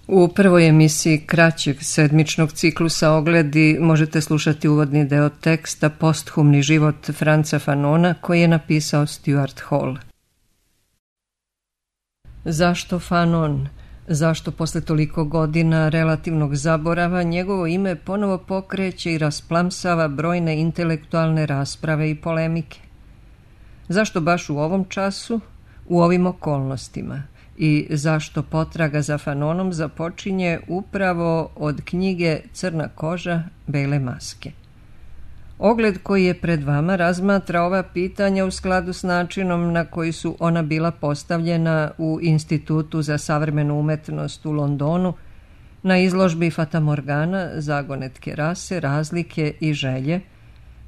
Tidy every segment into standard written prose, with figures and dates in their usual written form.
U prvoj emisiji kraćeg sedmičnog ciklusa Ogledi možete slušati uvodni deo teksta Posthumni život Franza Fanona koji je napisao Stuart Hall. Zašto Fanon? Zašto posle toliko godina relativnog zaborava njegovo ime ponovo pokreće i rasplamsava brojne intelektualne rasprave i polemike? Zašto baš u ovom času, u ovim okolnostima? I zašto potraga za Fanonom započinje upravo od knjige Crna koža, bele maske? Ogled koji je pred vama razmatra ova pitanja u skladu s načinom na koji su ona bila postavljena u Institutu za savremenu umetnost u Londonu na izložbi Fatamorgana, zagonetke rase, razlike i želje,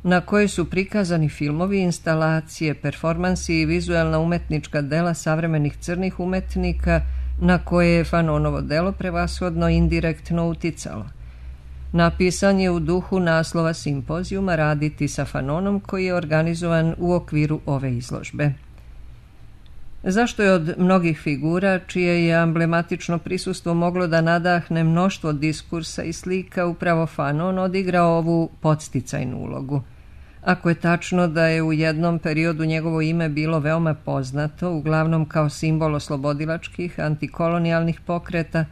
na kojoj su prikazani filmovi, instalacije, performansi i vizuelna umetnička dela savremenih crnih umetnika na koje je Fanonovo delo prevashodno indirektno uticalo. Napisan je u duhu naslova simpozijuma Raditi sa Fanonom koji je organizovan u okviru ove izložbe. Zašto je od mnogih figura, čije je amblematično prisustvo moglo da nadahne mnoštvo diskursa i slika, upravo Fanon odigrao ovu podsticajnu ulogu? Ako je tačno da je u jednom periodu njegovo ime bilo veoma poznato, uglavnom kao simbol oslobodilačkih, antikolonijalnih pokreta,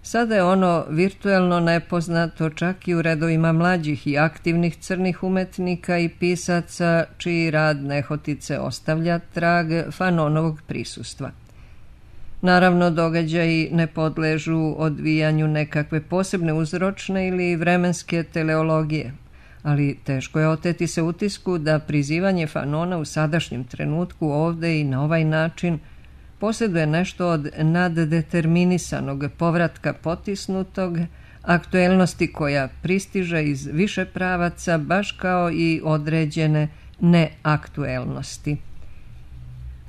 sada je ono virtuelno nepoznato čak i u redovima mlađih i aktivnih crnih umetnika i pisaca čiji rad nehotice ostavlja trag Fanonovog prisustva. Naravno, događaji ne podležu odvijanju nekakve posebne uzročne ili vremenske teleologije, ali teško je oteti se utisku da prizivanje Fanona u sadašnjem trenutku ovde i na ovaj način posjeduje nešto od naddeterminisanog povratka potisnutog, aktuelnosti koja pristiže iz više pravaca, baš kao i određene neaktuelnosti.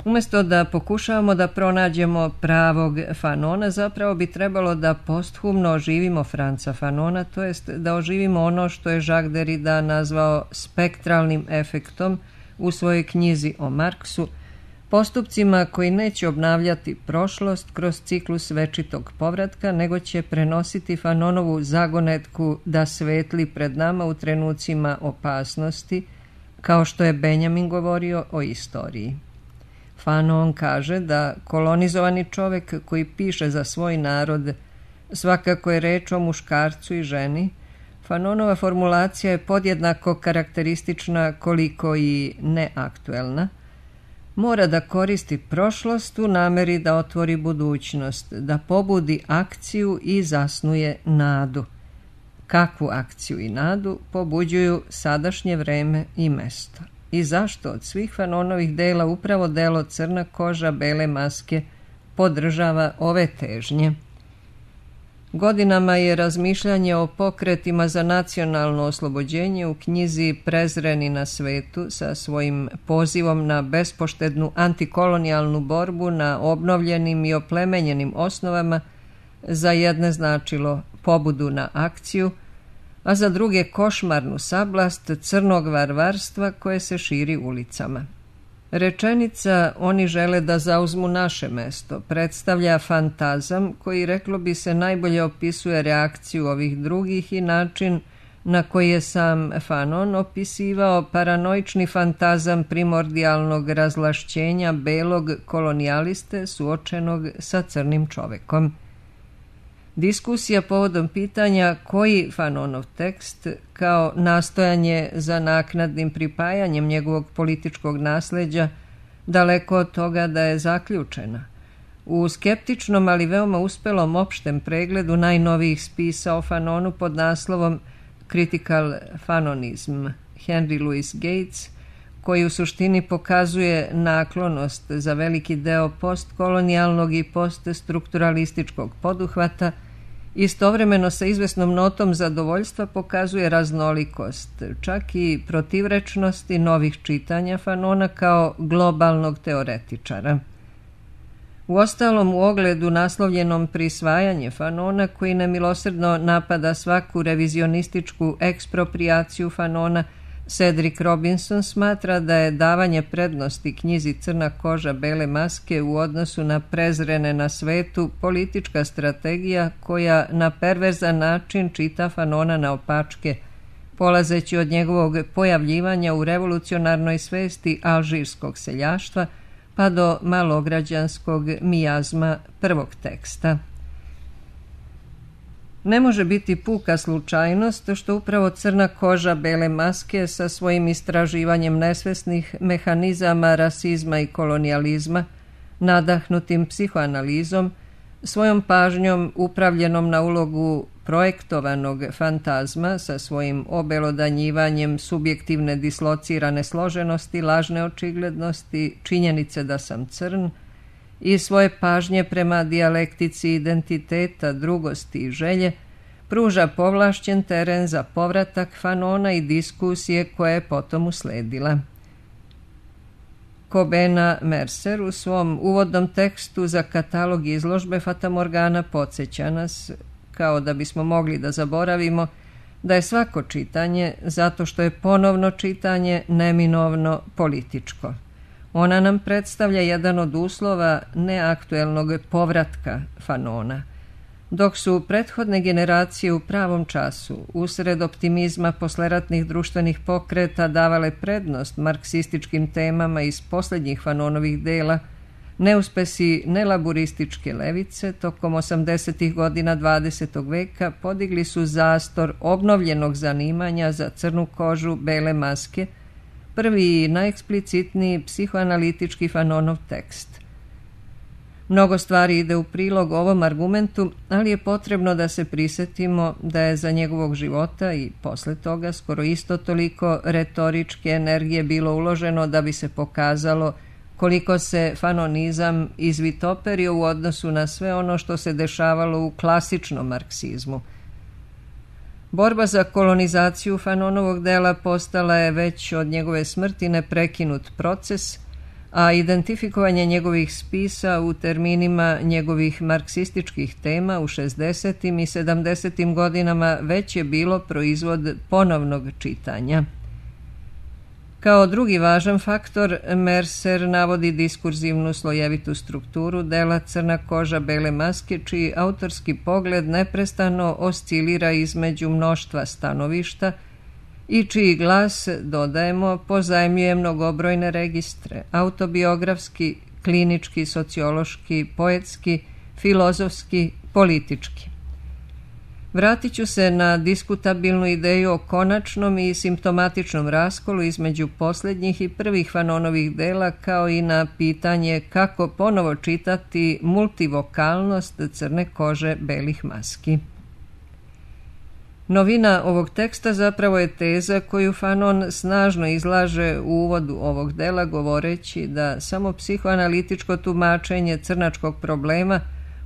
Umjesto da pokušavamo da pronađemo pravog Fanona, zapravo bi trebalo da posthumno oživimo Franza Fanona, to jest da oživimo ono što je Jacques Derrida nazvao spektralnim efektom u svojoj knjizi o Marksu, postupcima koji neće obnavljati prošlost kroz ciklus večitog povratka, nego će prenositi Fanonovu zagonetku da svetli pred nama u trenucima opasnosti, kao što je Benjamin govorio o istoriji. Fanon kaže da kolonizovani čovek koji piše za svoj narod svakako je reč o muškarcu i ženi. Fanonova formulacija je podjednako karakteristična koliko i neaktuelna. Mora da koristi prošlost u nameri da otvori budućnost, da pobudi akciju i zasnuje nadu. Kakvu akciju i nadu pobuđuju sadašnje vreme i mesto? I zašto od svih Fanonovih dela upravo delo Crna koža, bele maske podržava ove težnje? Godinama je razmišljanje o pokretima za nacionalno oslobođenje u knjizi Prezreni na svetu sa svojim pozivom na bespoštednu antikolonijalnu borbu na obnovljenim i oplemenjenim osnovama za jedne značilo pobudu na akciju, a za druge košmarnu sablast crnog varvarstva koje se širi ulicama. Rečenica "oni žele da zauzmu naše mesto" predstavlja fantazam koji, reklo bi se, najbolje opisuje reakciju ovih drugih i način na koji je sam Fanon opisivao paranoični fantazam primordijalnog razlašćenja belog kolonijaliste suočenog sa crnim čovekom. Diskusija povodom pitanja koji Fanonov tekst, kao nastojanje za naknadnim pripajanjem njegovog političkog nasleđa, daleko od toga da je zaključena. U skeptičnom, ali veoma uspelom opštem pregledu najnovijih spisa o Fanonu pod naslovom Critical Fanonism Henry Louis Gates, koji u suštini pokazuje naklonost za veliki deo postkolonijalnog i poststrukturalističkog poduhvata, istovremeno sa izvesnom notom zadovoljstva pokazuje raznolikost, čak i protivrečnosti novih čitanja Fanona kao globalnog teoretičara. Uostalom, u ogledu naslovljenom Prisvajanje Fanona, koji nemilosrdno napada svaku revizionističku eksproprijaciju Fanona, Cedric Robinson smatra da je davanje prednosti knjizi Crna koža bele maske u odnosu na prezrene na svetu politička strategija koja na perverzan način čita Fanona na opačke, polazeći od njegovog pojavljivanja u revolucionarnoj svesti alžirskog seljaštva pa do malograđanskog mijazma prvog teksta. Ne može biti puka slučajnost što upravo Crna koža bele maske sa svojim istraživanjem nesvesnih mehanizama rasizma i kolonijalizma, nadahnutim psihoanalizom, svojom pažnjom upravljenom na ulogu projektovanog fantazma sa svojim obelodanjivanjem subjektivne dislocirane složenosti, lažne očiglednosti, činjenice da sam crn, i svoje pažnje prema dijalektici identiteta, drugosti i želje, pruža povlašćen teren za povratak Fanona i diskusije koja je potom usledila. Kobena Mercer u svom uvodnom tekstu za katalog izložbe Fatamorgana podsjeća nas, kao da bismo mogli da zaboravimo, da je svako čitanje, zato što je ponovno čitanje, neminovno političko. Ona nam predstavlja jedan od uslova neaktuelnog povratka Fanona. Dok su prethodne generacije u pravom času, usred optimizma posleratnih društvenih pokreta, davale prednost marksističkim temama iz posljednjih Fanonovih dela, neuspesi nelaburističke levice tokom 80. godina 20. veka podigli su zastor obnovljenog zanimanja za crnu kožu bele maske, prvi i najeksplicitniji psihoanalitički Fanonov tekst. Mnogo stvari ide u prilog ovom argumentu, ali je potrebno da se prisetimo da je za njegovog života i posle toga skoro isto toliko retoričke energije bilo uloženo da bi se pokazalo koliko se fanonizam izvitoperio u odnosu na sve ono što se dešavalo u klasičnom marksizmu. Borba za kolonizaciju Fanonovog dela postala je već od njegove smrti neprekinut proces, a identifikovanje njegovih spisa u terminima njegovih marksističkih tema u 60. i 70. godinama već je bilo proizvod ponovnog čitanja. Kao drugi važan faktor, Mercer navodi diskurzivnu slojevitu strukturu dela Crna koža bele maske, čiji autorski pogled neprestano oscilira između mnoštva stanovišta i čiji glas, dodajemo, pozajmljuje mnogobrojne registre, autobiografski, klinički, sociološki, poetski, filozofski, politički. Vratit ću se na diskutabilnu ideju o konačnom i simptomatičnom raskolu između posljednjih i prvih Fanonovih dela, kao i na pitanje kako ponovo čitati multivokalnost Crne kože belih maski. Novina ovog teksta zapravo je teza koju Fanon snažno izlaže u uvodu ovog dela, govoreći da samo psihoanalitičko tumačenje crnačkog problema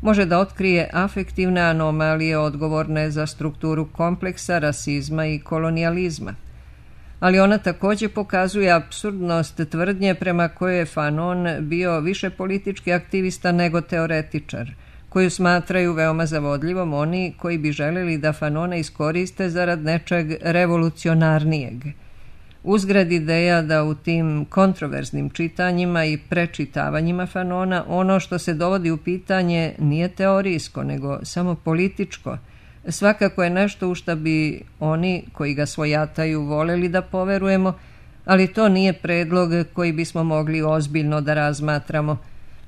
može da otkrije afektivne anomalije odgovorne za strukturu kompleksa, rasizma i kolonijalizma. Ali ona također pokazuje apsurdnost tvrdnje prema kojoj je Fanon bio više politički aktivista nego teoretičar, koju smatraju veoma zavodljivom oni koji bi željeli da Fanona iskoriste zarad nečeg revolucionarnijeg. Uzgred ideja da u tim kontroverznim čitanjima i prečitavanjima Fanona ono što se dovodi u pitanje nije teorijsko, nego samo političko. Svakako je nešto u što bi oni koji ga svojataju voljeli da poverujemo, ali to nije predlog koji bismo mogli ozbiljno da razmatramo.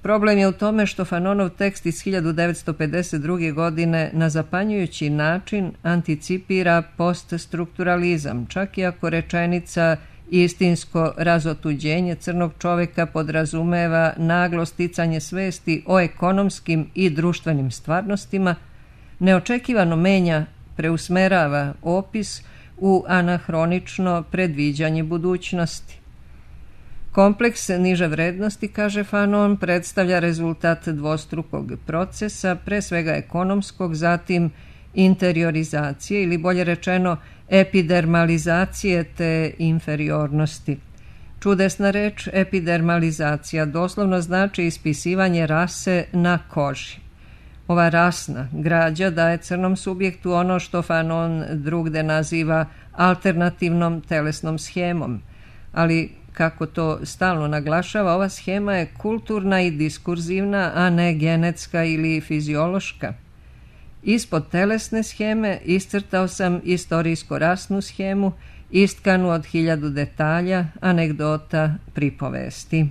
Problem je u tome što Fanonov tekst iz 1952. godine na zapanjujući način anticipira poststrukturalizam, čak i ako rečenica istinsko razotuđenje crnog čoveka podrazumeva naglo sticanje svesti o ekonomskim i društvenim stvarnostima, neočekivano menja, preusmerava opis u anahronično predviđanje budućnosti. Kompleks niže vrednosti, kaže Fanon, predstavlja rezultat dvostrukog procesa, pre svega ekonomskog, zatim interiorizacije ili bolje rečeno epidermalizacije te inferiornosti. Čudesna reč epidermalizacija doslovno znači ispisivanje rase na koži. Ova rasna građa daje crnom subjektu ono što Fanon drugde naziva alternativnom telesnom shemom, ali kako to stalno naglašava, ova shema je kulturna i diskurzivna, a ne genetska ili fiziološka. Ispod telesne sheme iscrtao sam istorijsko-rasnu shemu, istkanu od 1000 detalja, anegdota, pripovesti.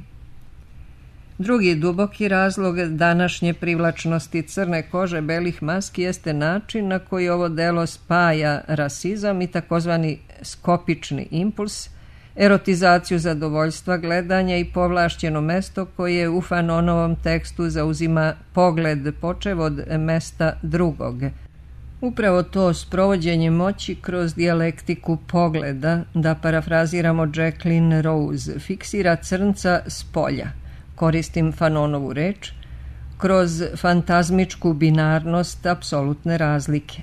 Drugi duboki razlog današnje privlačnosti crne kože belih maski jeste način na koji ovo delo spaja rasizam i takozvani skopični impuls, erotizaciju zadovoljstva gledanja i povlašćeno mesto koje u Fanonovom tekstu zauzima pogled počev od mesta drugog. Upravo to sprovođenje moći kroz dijalektiku pogleda, da parafraziramo Jacqueline Rose, fiksira crnca s polja, koristim Fanonovu reč, kroz fantazmičku binarnost apsolutne razlike.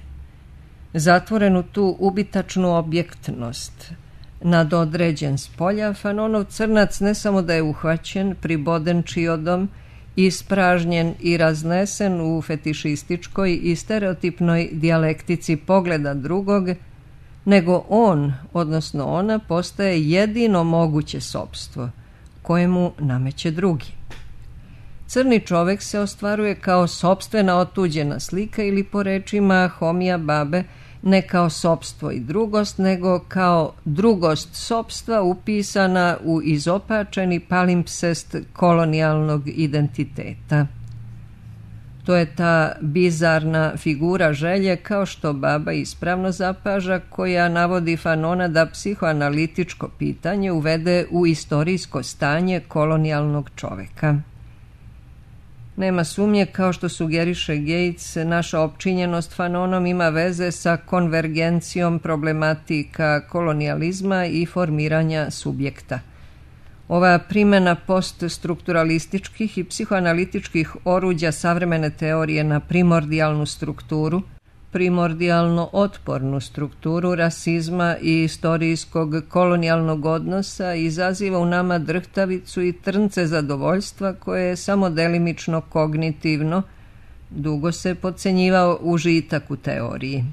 Zatvorenu tu ubitačnu objektnost, nadodređen s polja, Fanonov crnac ne samo da je uhvaćen, priboden čiodom, ispražnjen i raznesen u fetišističkoj i stereotipnoj dijalektici pogleda drugog, nego on, odnosno ona, postaje jedino moguće sopstvo, kojemu nameće drugi. Crni čovek se ostvaruje kao sopstvena otuđena slika ili po rečima Homija Babe, ne kao sopstvo i drugost, nego kao drugost sopstva upisana u izopačeni palimpsest kolonijalnog identiteta. To je ta bizarna figura želje, kao što Baba ispravno zapaža, koja navodi Fanona da psihoanalitičko pitanje uvede u istorijsko stanje kolonijalnog čoveka. Nema sumnje, kao što sugeriše Gates, naša opčinjenost Fanonom ima veze sa konvergencijom problematika kolonijalizma i formiranja subjekta. Ova primjena poststrukturalističkih i psihoanalitičkih oruđa savremene teorije na primordijalnu strukturu, primordijalno otpornu strukturu rasizma i istorijskog kolonijalnog odnosa izaziva u nama drhtavicu i trnce zadovoljstva koje je samo delimično kognitivno, dugo se podcenjivao užitak u teoriji.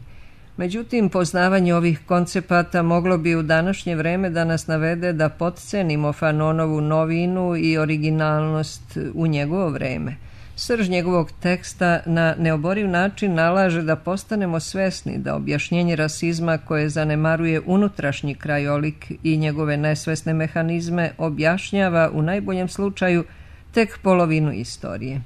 Međutim, poznavanje ovih koncepata moglo bi u današnje vreme da nas navede da potcenimo Fanonovu novinu i originalnost u njegovo vreme. Srž njegovog teksta na neoboriv način nalaže da postanemo svesni da objašnjenje rasizma koje zanemaruje unutrašnji krajolik i njegove nesvesne mehanizme objašnjava u najboljem slučaju tek polovinu istorije.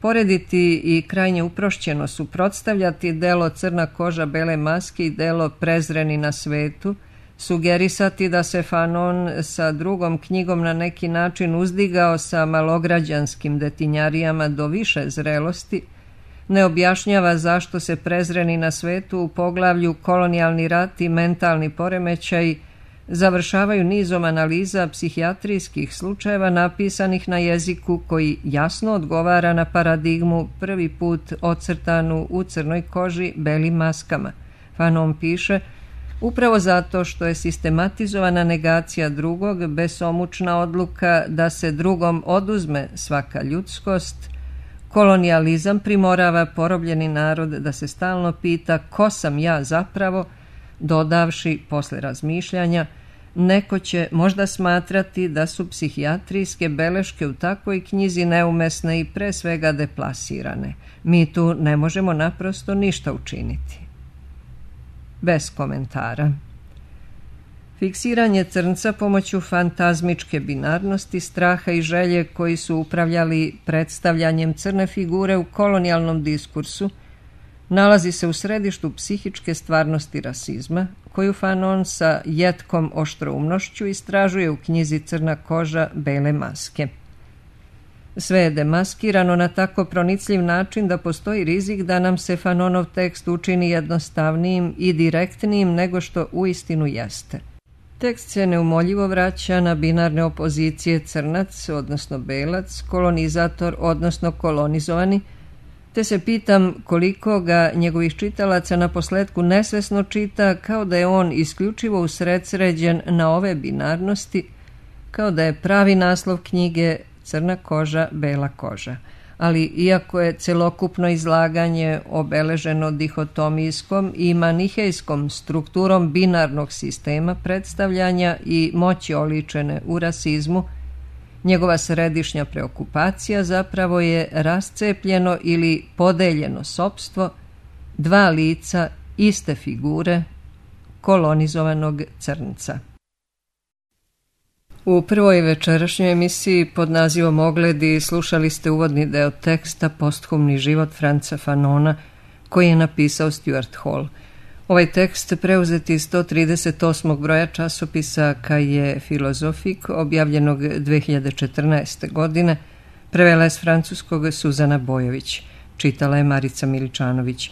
Porediti i krajnje uprošćeno suprotstavljati delo Crna koža bele maske i delo Prezreni na svetu, sugerisati da se Fanon sa drugom knjigom na neki način uzdigao sa malograđanskim detinjarijama do više zrelosti, ne objašnjava zašto se Prezreni na svetu u poglavlju kolonijalni rat i mentalni poremećaj završavaju nizom analiza psihijatrijskih slučajeva napisanih na jeziku koji jasno odgovara na paradigmu prvi put ocrtanu u crnoj koži belim maskama. Fanon piše: upravo zato što je sistematizovana negacija drugog, besomučna odluka da se drugom oduzme svaka ljudskost, kolonijalizam primorava porobljeni narod da se stalno pita ko sam ja zapravo, dodavši posle razmišljanja: neko će možda smatrati da su psihijatrijske beleške u takvoj knjizi neumesne i pre svega deplasirane. Mi tu ne možemo naprosto ništa učiniti. Bez komentara. Fiksiranje crnca pomoću fantazmičke binarnosti, straha i želje koji su upravljali predstavljanjem crne figure u kolonijalnom diskursu nalazi se u središtu psihičke stvarnosti rasizma, koju Fanon sa jetkom oštroumnošću istražuje u knjizi Crna koža bele maske. Sve je demaskirano na tako pronicljiv način da postoji rizik da nam se Fanonov tekst učini jednostavnijim i direktnijim nego što uistinu jeste. Tekst se neumoljivo vraća na binarne opozicije crnac, odnosno belac, kolonizator, odnosno kolonizovani, te se pitam koliko ga njegovih čitalaca na posledku nesvesno čita, kao da je on isključivo usredsređen na ove binarnosti, kao da je pravi naslov knjige Crna koža, bela koža. ali iako je celokupno izlaganje obeleženo dihotomijskom i manihejskom strukturom binarnog sistema predstavljanja i moći oličene u rasizmu, njegova središnja preokupacija zapravo je rascepljeno ili podeljeno sopstvo, dva lica iste figure kolonizovanog crnca. U prvoj večerašnjoj emisiji pod nazivom Ogledi slušali ste uvodni deo teksta Posthumni život Franza Fanona, koji je napisao Stuart Hall. Ovaj tekst preuzet iz 138. broja časopisa Cahiers Philosophiques, objavljenog 2014. godine, prevela je s francuskog Suzana Bojović. Čitala je Marica Miličanović.